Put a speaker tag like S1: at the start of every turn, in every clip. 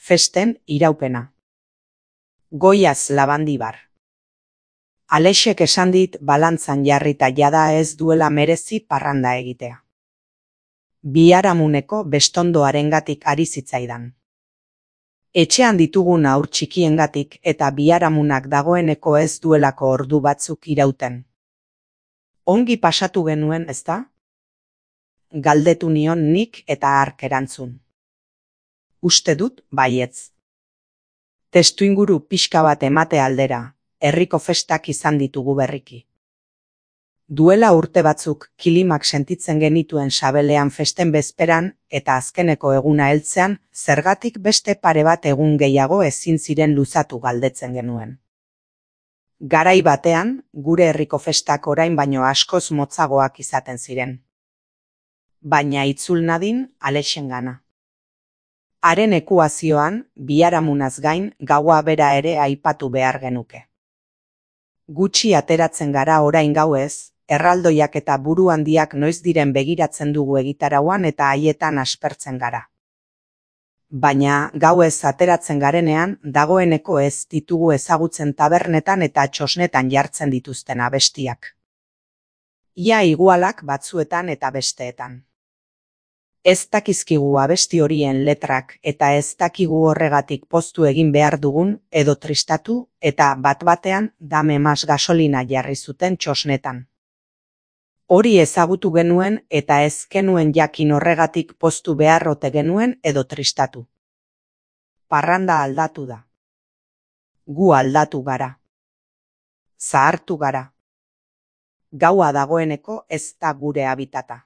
S1: festen iraupena. Goiaz Labandibar. Alexek esan dit balantzan jarrita jada ez duela merezi parranda egitea. Biharamuneko bestondoarengatik ari zitzaidan. Etxean ditugun haur txikiengatik eta biharamunak dagoeneko ez duelako ordu batzuk irauten. Ongi pasatu genuen, ezta? Galdetu nion nik eta hark erantzun. Uste dut baietz. Testuinguru pixka bat emate aldera, herriko festak izan ditugu berriki. Duela urte batzuk kilimak sentitzen genituen sabelean festen bezperan eta azkeneko eguna heltzean zergatik beste pare bat egun gehiago ezin ziren luzatu galdetzen genuen. Garai batean, gure herriko festak orain baino askoz motzagoak izaten ziren. Baina itzul nadin Alexengana. Haren ekuazioan, biharamunaz gain gaua bera ere aipatu behar genuke. Gutxi ateratzen gara orain gauez, erraldoiak eta buru handiak noiz diren begiratzen dugu egitarauan eta haietan aspertzen gara. Baina gauez ateratzen garenean, dagoeneko ez ditugu ezagutzen tabernetan eta txosnetan jartzen dituzten abestiak. Ia igualak batzuetan eta besteetan. Ez dakizkigu abesti horien letrak eta ez dakigu horregatik poztu egin behar dugun edo tristatu eta bat-batean dame mas gasolina jarri zuten txosnetan. Hori ezagutu genuen eta ez genuen jakin horregatik poztu behar ote genuen edo tristatu. Parranda aldatu da. Gu aldatu gara. Zahartu gara. Gaua dagoeneko ez da gure habitata.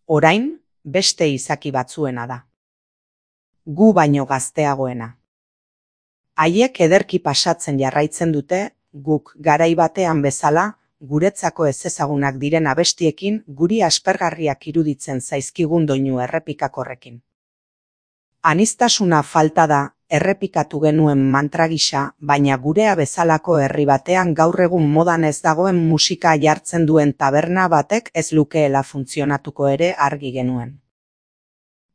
S1: Orain, beste izaki batzuena da. Gu baino gazteagoena. Haiek ederki pasatzen jarraitzen dute, guk garai batean bezala, guretzako ezezagunak diren abestiekin guri aspergarriak iruditzen zaizkigun doinu errepikakorrekin. Aniztasuna falta da, errepikatu genuen mantra gisa, baina gurea bezalako herri batean gaur egun modan ez dagoen musika jartzen duen taberna batek ez lukeela funtzionatuko ere argi genuen.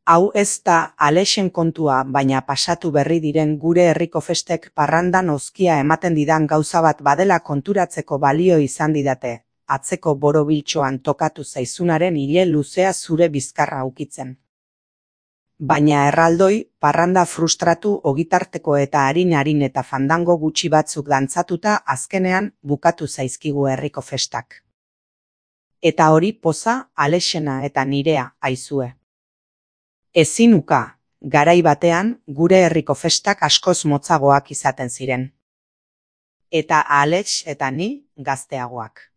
S1: Hau ez da Alexen kontua, baina pasatu berri diren gure herriko festek parrandan ozkia ematen didan gauza bat badela konturatzeko balio izan didate, atzeko borobiltxoan tokatu zaizunaren ile luzea zure bizkarra ukitzen. Baina erraldoi, parranda frustratu ogitarteko eta harin eta fandango gutxi batzuk dantzatuta azkenean bukatu zaizkigu herriko festak. Eta hori poza Alexena eta nirea aizue. Ezin uka, garai batean gure herriko festak askoz motzagoak izaten ziren. Eta Alex eta ni gazteagoak.